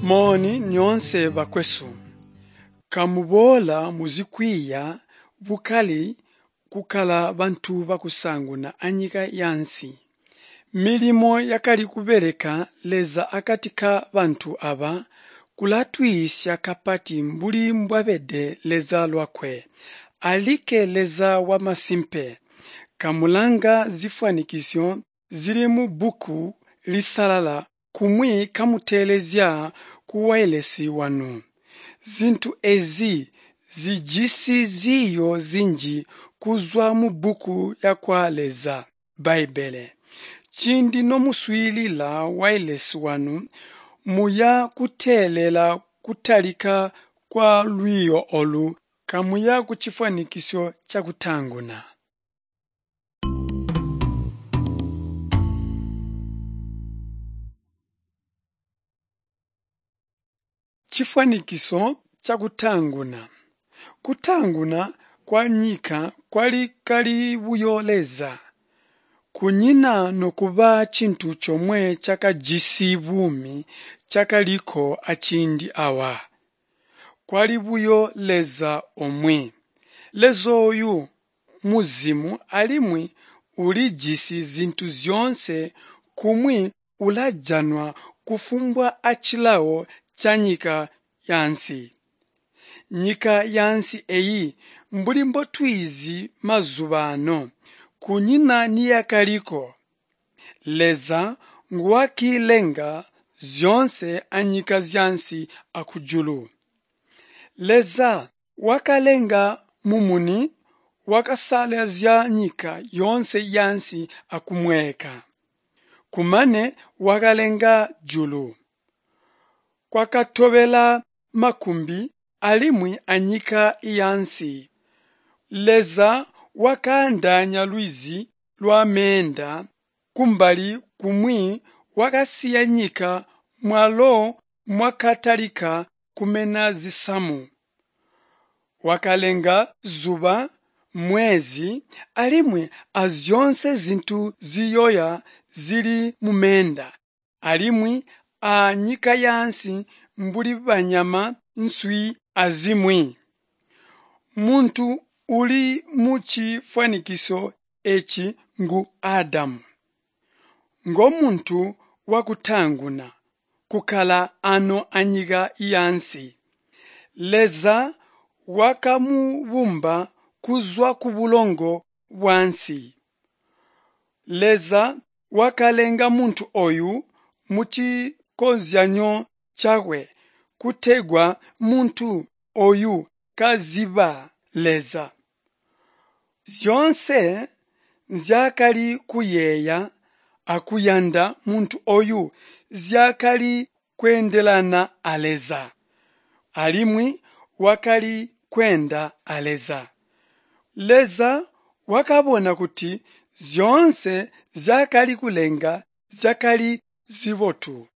Mooni nyoonse bakwesu, kamuboola muzikwiiya bukali kukkala bantu bakusaanguna anyika yaansi. Milimo yakali kubeleka Leza akati ka bantu aba kulatwiisya kapati mbuli mbwabede Leza lwakwe, alikke Leza wamasimpe. Kamulanga zifwanikiso zili mubbuku lisalala kumwi kamuteelezya kuwailesi wanu. Zintu ezi zijisi ziiyo zinji kuzwa mubbuku yakwa Leza, Bbaibbele. Ciindi nomuswiilila wailesi wanu, muya kuteelela kutalika kwa lwiiyo olu kamuya kucifwanikiso cakutaanguna. Cifwanikiso cakutaanguna. Kutaanguna kwanyika kwali kali buyo Leza. Kunyina nokuba cintu comwe cakajisi buumi cakaliko aciindi awa. Kwali buyo Leza omwe. Leza oyu muzimu alimwi ulijisi zintu zyoonse kumwi ulajanwa kufumbwa acilawo canyika yaansi. Nyika yaansi eyi mbuli mbotwiizi mazubaano, kunyina niyakaliko. Leza nguwakiilenga zyoonse anyika zyaansi akujulu. Leza wakalenga mumuni wakasalazya nyika yoonse yaansi akumweka. Kumane wakalenga julu. Kwakatobela makumbi alimwi anyika yaansi. Leza wakaandaanya lwizi lwameenda kumbali kumwi wakasiya nyika mwalo mwakatalika kumena zisamu. Wakalenga zuba, mwezi alimwi azyoonse zintu ziyoya zili mumeenda, alimwi a nyika yaansi mbuli banyama, nswi azimwi. Muntu uli mucifwanikiso eci ngu Adamu. Ngomuntu wakutaanguna kukkala ano anyika yaansi. Leza wakamubumba kuzwa kubulongo bwaansi. Leza wakalenga muntu oyu mucikozyanyo cakwe kutegwa muntu oyu kaziba Leza. Zyoonse nzyaakali kuyeeya akuyanda muntu oyu zyakali kweendelana a Leza. Alimwi wakali kweenda a Leza. Leza wakabona kuti zyoonse nzyaakali kulenga zyakali zibotu.